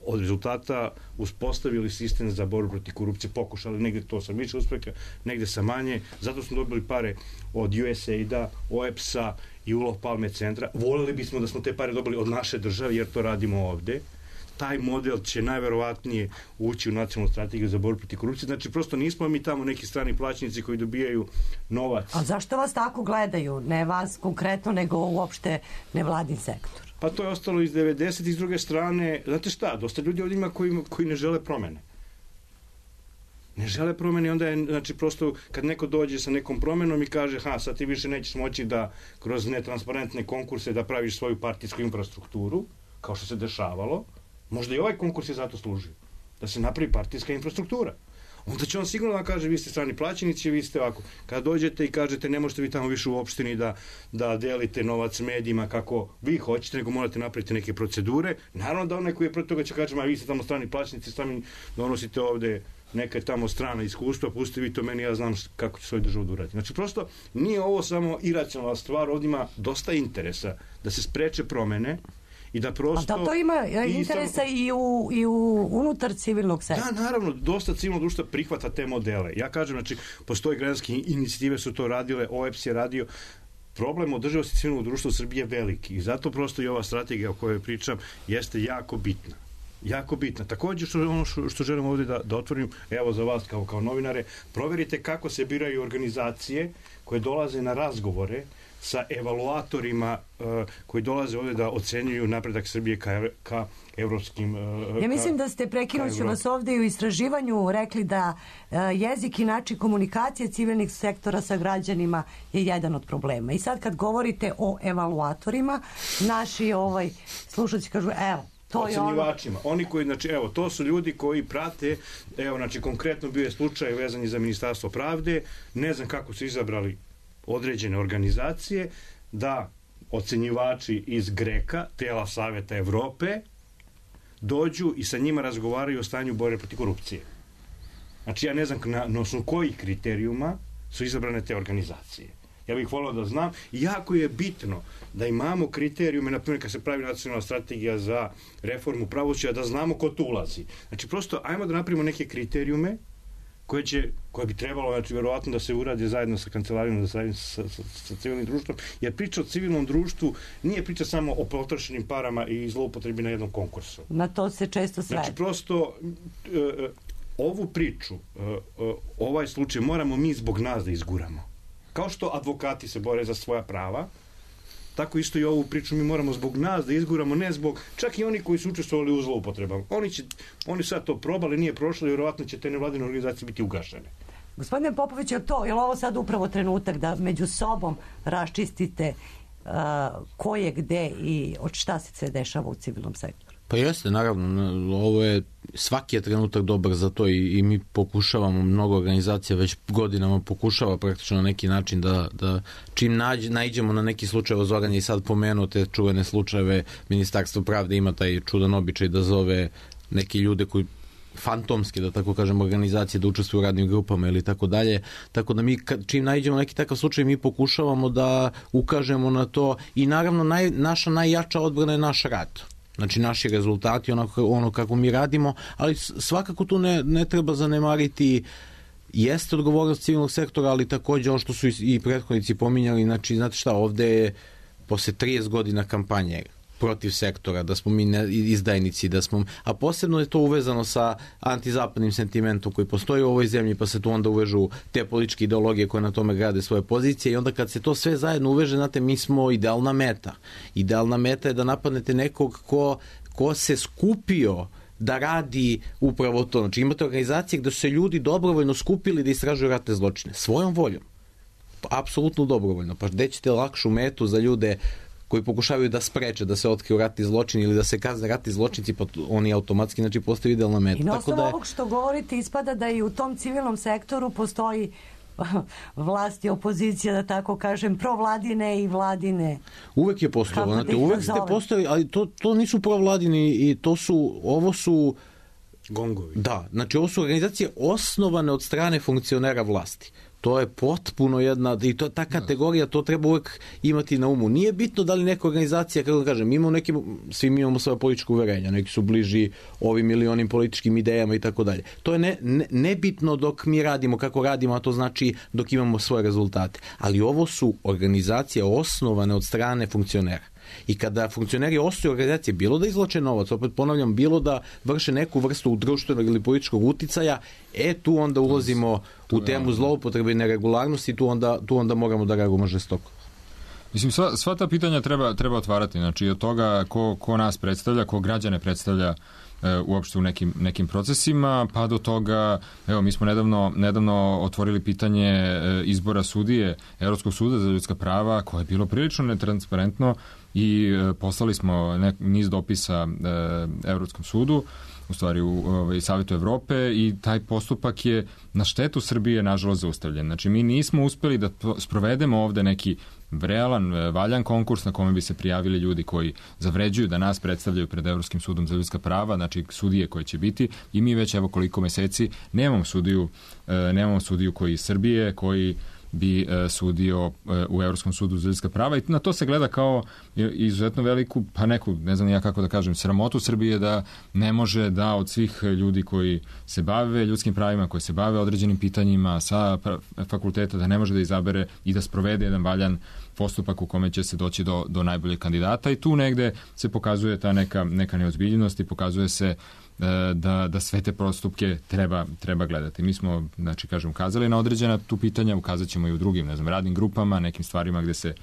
od rezultata uspostavili sistem za borbu protiv korupcije, pokušali, negde to sa više uspeha, negde sa manje, zato smo dobili pare od USAID-a, OEPS-a i Olof Palme centra. Volili bismo da smo te pare dobili od naše države, jer to radimo ovde. Taj model će najverovatnije ući u nacionalnu strategiju za borbu protiv korupcije. Znači, prosto nismo mi tamo neki strani plaćnici koji dobijaju novac. A zašto vas tako gledaju? Ne vas konkretno, nego uopšte nevladin sektor. Pa to je ostalo iz 90. I s druge strane, znate šta, dosta ljudi ovdje ima koji ne žele promene. Ne žele promene i onda je, znači, prosto kad neko dođe sa nekom promenom i kaže, sad ti više nećeš moći da kroz netransparentne konkurse da praviš svoju partijsku infrastrukturu, kao što se dešavalo, možda i ovaj konkurs je zato služio, da se napravi partijska infrastruktura. Onda će on sigurno da kaže, vi ste strani plaćenici, vi ste ovako. Kada dođete i kažete, ne možete vi tamo više u opštini da delite novac medijima kako vi hoćete, nego morate napraviti neke procedure. Naravno da onaj koji je protiv toga će kaže, vi ste tamo strani plaćenici, sami donosite ovde neka tamo strana iskustva, pustite vi to meni, ja znam kako će svoju državu da uradi. Znači, prosto nije ovo samo iracionalna stvar, ovdje ima dosta interesa da se spreče promene i da prosto... A da to ima interesa i u unutar civilnog sektora? Da, naravno, dosta civilnog društva prihvata te modele. Ja kažem, znači, postoje građanske inicijative su to radile, OEPS je radio. Problem održivosti civilnog društva u Srbiji je veliki i zato prosto i ova strategija o kojoj pričam jeste jako bitna. Jako bitna. Također što želim ovdje da otvorim, evo za vas kao novinare, proverite kako se biraju organizacije koje dolaze na razgovore sa evaluatorima koji dolaze ovdje da ocenjuju napredak Srbije ka evropskim... Ja mislim da ste, prekinuću vas ovdje, u istraživanju rekli da jezik i način komunikacije civilnih sektora sa građanima je jedan od problema. I sad kad govorite o evaluatorima, naši slušalci kažu, evo, ocenjivačima. Oni koji, znači, evo, to su ljudi koji prate, evo, znači, konkretno bio je slučaj vezan za Ministarstvo pravde, ne znam kako su izabrali određene organizacije, da ocenjivači iz GREKA, tela Saveta Evrope, dođu i sa njima razgovaraju o stanju borbe protiv korupcije. Znači, ja ne znam na osnovu kojih kriterijuma su izabrane te organizacije. Ja bih volio da znam. Jako je bitno da imamo kriterijume, na primjer kad se pravi nacionalna strategija za reformu pravosuđa, da znamo ko tu ulazi. Znači, prosto, ajmo da napravimo neke kriterijume koje bi trebalo, znači, verovatno da se uradi zajedno sa kancelarijom, sa civilnim društvom, jer priča o civilnom društvu nije priča samo o potrošenim parama i zloupotrebi na jednom konkursu. Na to se često sve. Znači, prosto, ovu priču, ovaj slučaj, moramo mi zbog nas da izguramo. Kao što advokati se bore za svoja prava, tako isto i ovu priču mi moramo zbog nas da izguramo, ne zbog, čak i oni koji su učestvovali u zloupotrebama. Oni sad to probali, nije prošlo i vjerovatno će te nevladine organizacije biti ugašene. Gospodine Popović, je li ovo sad upravo trenutak da među sobom raščistite ko je gde i od šta se sve dešava u civilnom sektoru? Pa jeste, naravno, ovo je, svaki je trenutak dobar za to i mi pokušavamo, mnogo organizacija već godinama pokušava praktično na neki način da čim naiđemo na neki slučaj, Zoran je i sad pomenuo te čuvene slučajeve, Ministarstvo pravde ima taj čudan običaj da zove neke ljude koji fantomske, da tako kažem, organizacije da učestvuju u radnim grupama ili tako dalje, tako da mi čim naiđemo neki takav slučaj mi pokušavamo da ukažemo na to i naravno naša najjača odbrana je naš rad. Znači naši rezultati, ono kako mi radimo, ali svakako tu ne treba zanemariti, jeste odgovornost civilnog sektora, ali također ono što su i prethodnici pominjali, znači znate šta, ovde je posle 30 godina kampanje protiv sektora, da smo mi izdajnici, a posebno je to uvezano sa antizapadnim sentimentom koji postoji u ovoj zemlji, pa se tu onda uvežu te političke ideologije koje na tome grade svoje pozicije i onda kad se to sve zajedno uveže, znate, mi smo idealna meta. Idealna meta je da napadnete nekog ko se skupio da radi upravo to. Znači imate organizacije gde su se ljudi dobrovoljno skupili da istražuju ratne zločine. Svojom voljom. Apsolutno dobrovoljno. Pa gde ćete lakšu metu za ljude koji pokušavaju da spreče da se otkriju ratni zločini ili da se kazne ratni zločinci, pa oni automatski postaju idealna meta. I na osnovu ovog što govorite ispada da i u tom civilnom sektoru postoji vlast i opozicija, da tako kažem, provladine i vladine. Uvek je postojalo, znate, uvek ste postojali, ali to nisu provladini i ovo su gongovi. Da, znači ovo su organizacije osnovane od strane funkcionera vlasti. To je potpuno jedna, i to ta kategorija, to treba uvek imati na umu. Nije bitno da li neka organizacija, kako da kažem, svi mi imamo svoje političke uverenja, neki su bliži ovim ili onim političkim idejama i tako dalje. To je nebitno dok mi radimo kako radimo, a to znači dok imamo svoje rezultate. Ali ovo su organizacije osnovane od strane funkcionera. I kada funkcioneri osnuju organizacije, bilo da izvlače novac, opet ponavljam, bilo da vrše neku vrstu društvenog ili političkog uticaja, tu onda ulazimo u temu zloupotrebe i neregularnosti, tu onda moramo da reagujemo žestoko. Mislim, sva ta pitanja treba otvarati, znači od toga ko nas predstavlja, ko građane predstavlja uopšte u nekim procesima, pa do toga, evo, mi smo nedavno otvorili pitanje izbora sudije Evropskog suda za ljudska prava, koje je bilo prilično netransparentno i poslali smo niz dopisa Evropskom sudu, u stvari u Savetu Evrope, i taj postupak je na štetu Srbije nažalost zaustavljen. Znači mi nismo uspeli da sprovedemo ovde neki realan, valjan konkurs na kome bi se prijavili ljudi koji zavređuju da nas predstavljaju pred Evropskim sudom za ljudska prava, znači sudije koje će biti, i mi već evo koliko meseci nemamo sudiju koji iz Srbije, koji bi sudio u Evropskom sudu za ljudska prava, i na to se gleda kao izuzetno veliku, pa neku, ne znam ja kako da kažem, sramotu Srbije da ne može da od svih ljudi koji se bave ljudskim pravima, koji se bave određenim pitanjima sa fakulteta, da ne može da izabere i da sprovede jedan valjan postupak u kome će se doći do najboljeg kandidata, i tu negde se pokazuje ta neka neozbiljnost i pokazuje se da sve te postupke treba gledati. Mi smo, znači, kažem, ukazali na određena tu pitanja, ukazat ćemo i u drugim, ne znam, radnim grupama, nekim stvarima gde se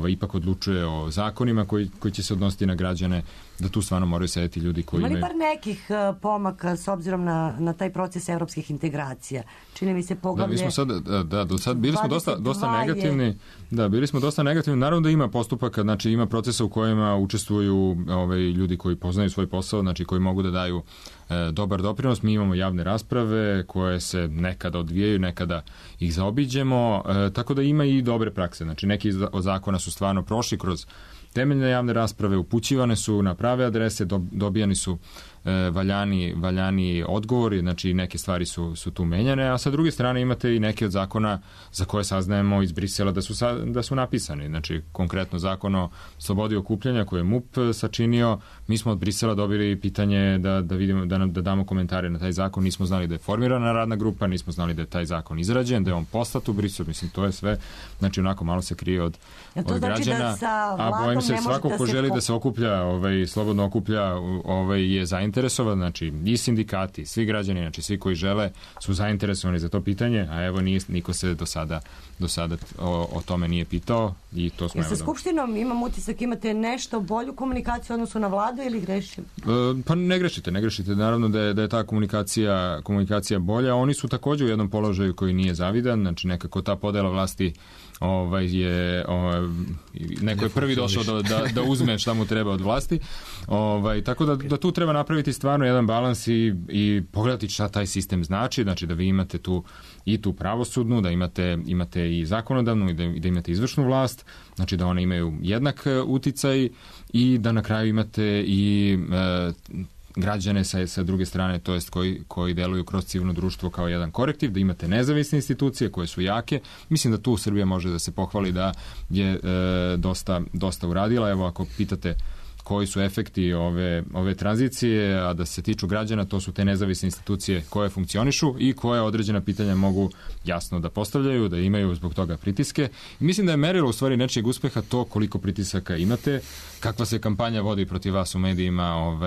ipak odlučuje o zakonima koji će se odnositi na građane, da tu stvarno moraju sedeti ljudi koji imaju... Ima li bar nekih pomaka s obzirom na taj proces evropskih integracija? Čini mi se poglavlje... Do sad bili smo dosta negativni. Da, bili smo dosta negativni. Naravno da ima postupaka, znači ima procesa u kojima učestvuju ljudi koji poznaju svoj posao, znači koji mogu da daju dobar doprinos. Mi imamo javne rasprave koje se nekada odvijaju, nekada ih zaobiđemo, tako da ima i dobre prakse. Znači neki od zakona su stvarno prošli kroz temeljne javne rasprave, upućivane su na prave adrese, dobijani su valjani odgovori, znači neke stvari su tu menjane, a sa druge strane imate i neke od zakona za koje saznajemo iz Brisela da su napisani. Znači konkretno zakon o slobodi okupljanja koji je MUP sačinio, mi smo od Brisela dobili pitanje da vidimo, da damo komentare na taj zakon, nismo znali da je formirana radna grupa, nismo znali da je taj zakon izrađen, da je on poslat u Brisel, mislim to je sve, znači onako malo se krije od građana, a bojim se svako ko želi da se okuplja, slobodno okuplja, je zainteresovan, znači i sindikati, svi građani, znači svi koji žele su zainteresovani za to pitanje, a evo niko se do sada o tome nije pitao, i to smo... Sa Skupštinom imam utisak, imate nešto bolju komunikaciju odnosu na vladu ili grešim? Pa ne grešite, naravno da je ta komunikacija bolja, oni su također u jednom položaju koji nije zavidan, znači nekako ta podela vlasti neko je prvi došao da uzme šta mu treba od vlasti, tako da tu treba napraviti stvarno jedan balans i pogledati šta taj sistem znači da vi imate tu pravosudnu, da imate i zakonodavnu i da imate izvršnu vlast, znači da one imaju jednak uticaj i da na kraju imate i građane sa druge strane, to jest koji deluju kroz civilno društvo kao jedan korektiv, da imate nezavisne institucije koje su jake. Mislim da tu Srbija može da se pohvali da je dosta uradila. Evo, ako pitate koji su efekti ove tranzicije, a da se tiču građana, to su te nezavisne institucije koje funkcionišu i koje određena pitanja mogu jasno da postavljaju, da imaju zbog toga pritiske. I mislim da je merilo u stvari nečijeg uspeha to koliko pritisaka imate, kakva se kampanja vodi protiv vas u medijima,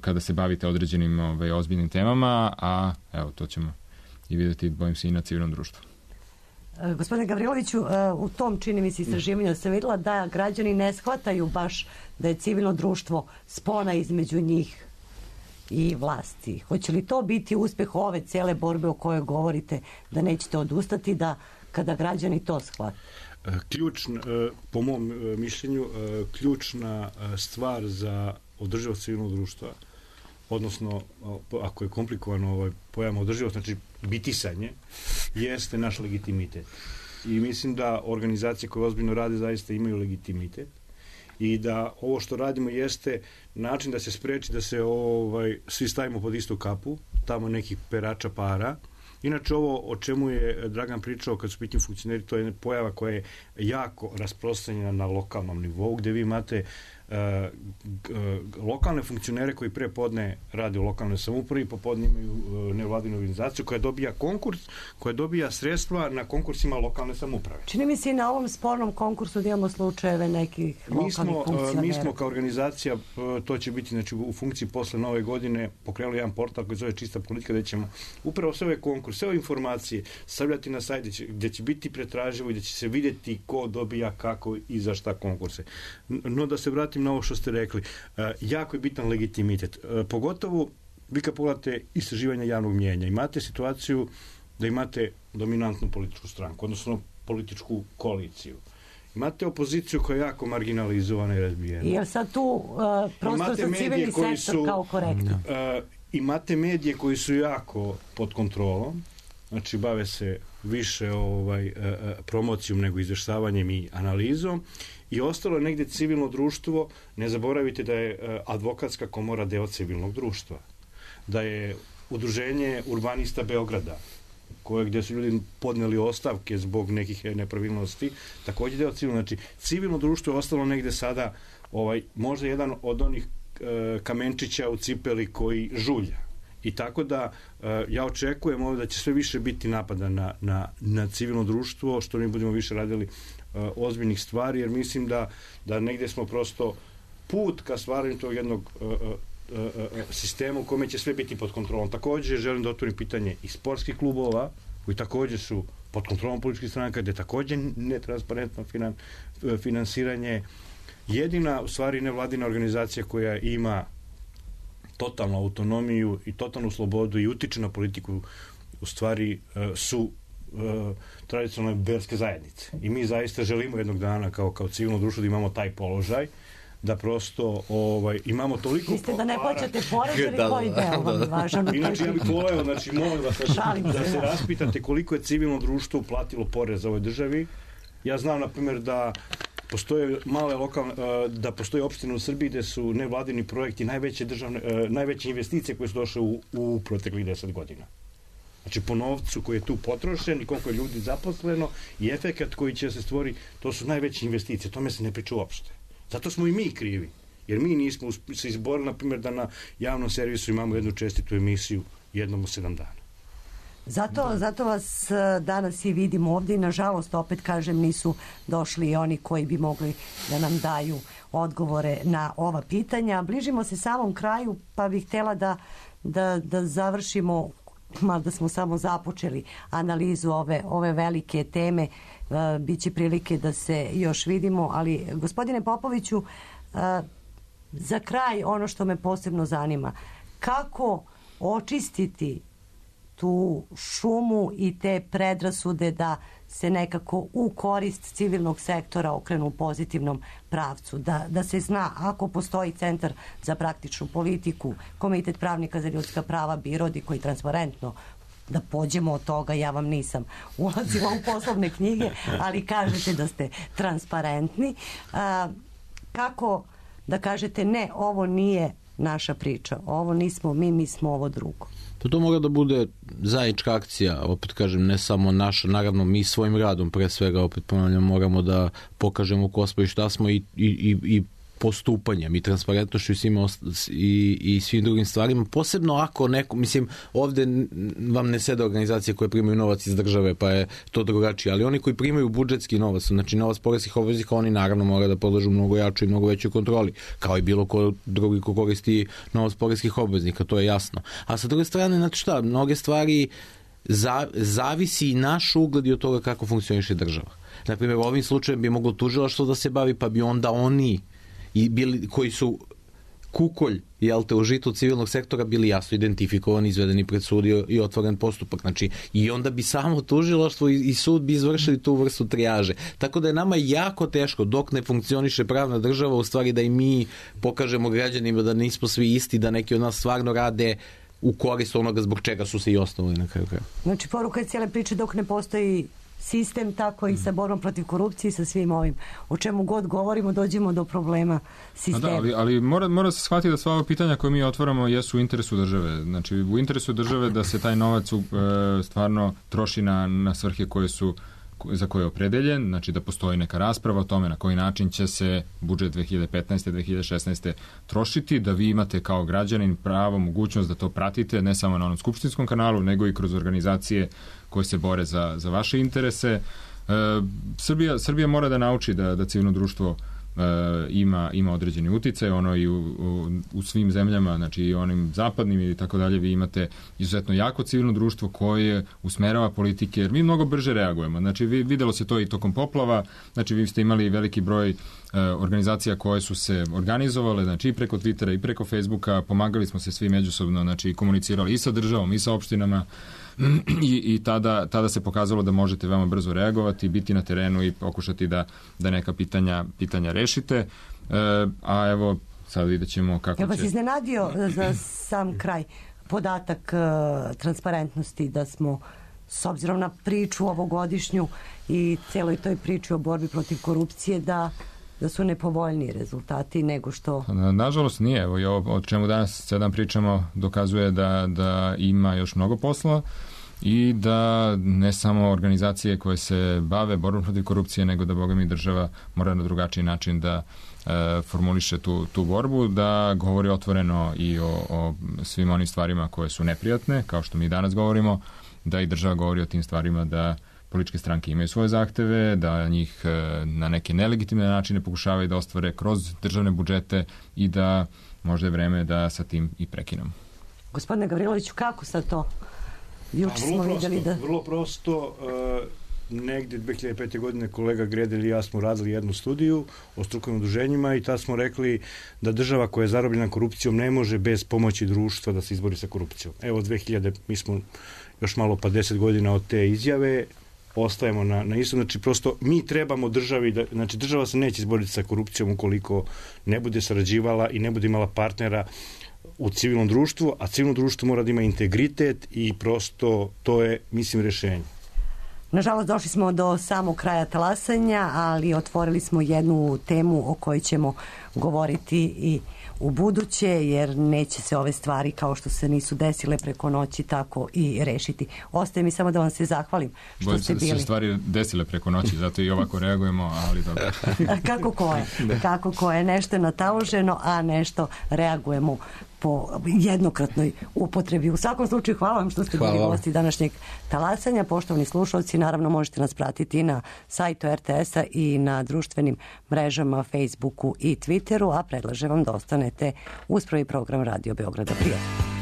kada se bavite određenim ozbiljnim temama, a evo, to ćemo i vidjeti, bojim se, i na civilnom društvu. Gospodine Gavriloviću, u tom, čini mi se, istraživanju sam vidjela da građani ne shvataju baš da je civilno društvo spona između njih i vlasti. Hoće li to biti uspeh ove cele borbe o kojoj govorite, da nećete odustati, da kada građani to shvate? Po mom mišljenju, ključna stvar za održivost civilnog društva, odnosno, ako je komplikovano pojam održivost, znači bitisanje, jeste naš legitimitet. I mislim da organizacije koje ozbiljno rade zaista imaju legitimitet i da ovo što radimo jeste način da se spreči da se svi stavimo pod istu kapu, tamo nekih perača para. Inače, ovo o čemu je Dragan pričao kad su pitanje funkcioneri, to je pojava koja je jako rasprostranjena na lokalnom nivou, gde vi imate lokalne funkcionere koji pre podne rade u lokalnoj samoupravi, popodne imaju nevladinu organizaciju koja dobija konkurs, koja dobija sredstva na konkursima lokalne samouprave. Čini mi se i na ovom spornom konkursu da imamo slučajeve nekih lokalnih funkcionera. Mi smo kao organizacija, to će biti znači, u funkciji posle nove godine, pokrenuli jedan portal koji zove Čista politika, gde ćemo upravo sve ove konkurse, sve ove informacije stavljati na sajt gde će biti pretraživo i gde će se vidjeti ko dobija kako i za šta konkurse. No da se vratim na ovo što ste rekli, jako je bitan legitimitet. Pogotovo vi kad pogledate istraživanja javnog mnijenja, imate situaciju da imate dominantnu političku stranku, odnosno političku koaliciju. Imate opoziciju koja je jako marginalizovana i razbijena. Je li sad tu prostor za civilni sektor kao korektno? Imate medije koji su jako pod kontrolom, znači bave se više promocijom nego izvještavanjem i analizom, i ostalo je negdje civilno društvo. Ne zaboravite da je advokatska komora deo civilnog društva, da je udruženje urbanista Beograda, gdje su ljudi podneli ostavke zbog nekih nepravilnosti, također deo civilno. Znači, civilno društvo je ostalo negdje sada možda jedan od onih kamenčića u cipeli koji žulja. I tako da ja očekujem ovdje da će sve više biti napada na civilno društvo, što mi budemo više radili ozbiljnih stvari, jer mislim da negdje smo prosto put ka stvaranju tog jednog sistema u kome će sve biti pod kontrolom. Također želim da otvorim pitanje i sportskih klubova, koji također su pod kontrolom političkih stranaka, gdje također netransparentno finansiranje. Jedina, u stvari, nevladina organizacija koja ima totalnu autonomiju i totalnu slobodu i utiče na politiku, u stvari su tradicionalne verske zajednice. I mi zaista želimo jednog dana kao civilno društvo da imamo taj položaj, da prosto imamo toliko... Mislite da ne plaćate porez ili koji deo vam je važan? Inače, ja bih voleo, znači, molim vas da se raspitate koliko je civilno društvo uplatilo porez ovoj državi. Ja znam, na primjer, da postoje da postoje opštine u Srbiji gde su nevladini projekti najveće investicije koje su došle u proteklih 10 godina. Znači, po novcu koji je tu potrošen i koliko je ljudi zaposleno i efekat koji će se stvori, to su najveće investicije. Tome se ne priča uopšte. Zato smo i mi krivi. Jer mi nismo se izborili, na primjer, da na javnom servisu imamo jednu čestitu emisiju jednom u 7 dana. Zato vas danas i vidimo ovdje i nažalost, opet kažem, nisu došli oni koji bi mogli da nam daju odgovore na ova pitanja. Bližimo se samom kraju, pa bih htjela da završimo, mada smo samo započeli analizu ove velike teme. Biće prilike da se još vidimo, ali gospodine Popoviću, za kraj ono što me posebno zanima, kako očistiti tu šumu i te predrasude da se nekako u korist civilnog sektora okrenu u pozitivnom pravcu, da se zna ako postoji Centar za praktičnu politiku, Komitet pravnika za ljudska prava, BIRODI koji transparentno, da pođemo od toga, ja vam nisam ulazila u poslovne knjige, ali kažete da ste transparentni. Kako da kažete ne, ovo nije naša priča. Ovo nismo mi smo ovo drugo. To mora da bude zajednička akcija, opet kažem, ne samo naša, naravno mi svojim radom pre svega, opet ponavljam, moramo da pokažemo ko smo i šta smo i postupanjem i transparentnošću i svim drugim stvarima, posebno ako neko, mislim, ovde vam ne sede organizacije koje primaju novac iz države, pa je to drugačije, ali oni koji primaju budžetski novac, znači novac poreskih obveznika, oni naravno mora da podležu mnogo jačoj i mnogo većoj kontroli, kao i bilo ko drugi ko koristi novac poreskih obveznika, to je jasno. A sa druge strane, znači šta, mnoge stvari zavisi i naš ugled i od toga kako funkcioniše država. Naprimjer, ovim slučajem bi moglo tužilaštvo da se bavi, pa bi onda oni i bili, koji su kukolj u žitu civilnog sektora bili jasno identifikovani, izvedeni pred sud i otvoren postupak. Znači, i onda bi samo tužilaštvo i sud bi izvršili tu vrstu trijaže. Tako da je nama jako teško, dok ne funkcioniše pravna država, u stvari da i mi pokažemo građanima da nismo svi isti, da neki od nas stvarno rade u korist onoga zbog čega su se i osnovali na kraju kraja. Znači, poruka je cijele priče dok ne postoji sistem, tako i sa borbom protiv korupcije i sa svim ovim. O čemu god govorimo, dođemo do problema sistema. Da, ali mora se shvatiti da sva ova pitanja koje mi otvaramo jesu u interesu države. Znači, u interesu države da se taj novac stvarno troši na svrhe za koje je opredeljen, znači da postoji neka rasprava o tome na koji način će se budžet 2015. 2016. trošiti, da vi imate kao građanin pravo, mogućnost da to pratite, ne samo na onom skupštinskom kanalu, nego i kroz organizacije koje se bore za vaše interese. Srbija mora da nauči da civilno društvo ima određeni uticaj, ono i u svim zemljama, znači i onim zapadnim i tako dalje, vi imate izuzetno jako civilno društvo koje usmerava politike, jer mi mnogo brže reagujemo. Znači, videlo se to i tokom poplava, znači vi ste imali veliki broj organizacija koje su se organizovale, znači i preko Twittera i preko Facebooka, pomagali smo se svi međusobno, znači komunicirali i sa državom i sa opštinama i tada se pokazalo da možete veoma brzo reagovati, biti na terenu i pokušati da neka pitanja rešite. A evo, sad vidjet ćemo kako će... Jel vas iznenadio za sam kraj podatak transparentnosti da smo, s obzirom na priču ovogodišnju i celoj toj priči o borbi protiv korupcije, da su nepovoljniji rezultati nego što... Nažalost nije. Evo, o čemu danas sedam pričamo dokazuje da ima još mnogo posla i da ne samo organizacije koje se bave borbom protiv korupcije, nego da Boga mi država mora na drugačiji način da formuliše tu borbu, da govori otvoreno i o svim onim stvarima koje su neprijatne, kao što mi danas govorimo, da i država govori o tim stvarima, da političke stranke imaju svoje zahteve, da njih na neke nelegitimne načine pokušavaju da ostvare kroz državne budžete i da možda je vreme da sa tim i prekinemo. Gospodine Gavriloviću, kako sad to? Juče smo vidjeli da... Vrlo prosto, negdje 2005. godine kolega Gredel i ja smo radili jednu studiju o strukovnim udruženjima i tad smo rekli da država koja je zarobljena korupcijom ne može bez pomoći društva da se izbori sa korupcijom. Evo 2000, mi smo još malo pa 10 godina od te izjave, ostajemo na isto, znači prosto mi trebamo državi, znači država se neće izboriti sa korupcijom ukoliko ne bude sarađivala i ne bude imala partnera u civilnom društvu, a civilno društvo mora da ima integritet i prosto to je, mislim, rešenje. Nažalost, došli smo do samog kraja talasanja, ali otvorili smo jednu temu o kojoj ćemo govoriti i u buduće, jer neće se ove stvari kao što se nisu desile preko noći tako i rešiti. Ostaje mi samo da vam se zahvalim što ste bili. Se stvari desile preko noći, zato i ovako reagujemo, ali dobro. Kako ko je, nešto je nataloženo, a nešto reagujemo po jednokratnoj upotrebi. U svakom slučaju, hvala vam što ste bili gosti današnjeg talasanja. Poštovani slušalci, naravno možete nas pratiti na sajtu RTS-a i na društvenim mrežama Facebooku i Twitteru, a predlažem vam da ostanete uz prvi program Radio Beograda. Prijatno.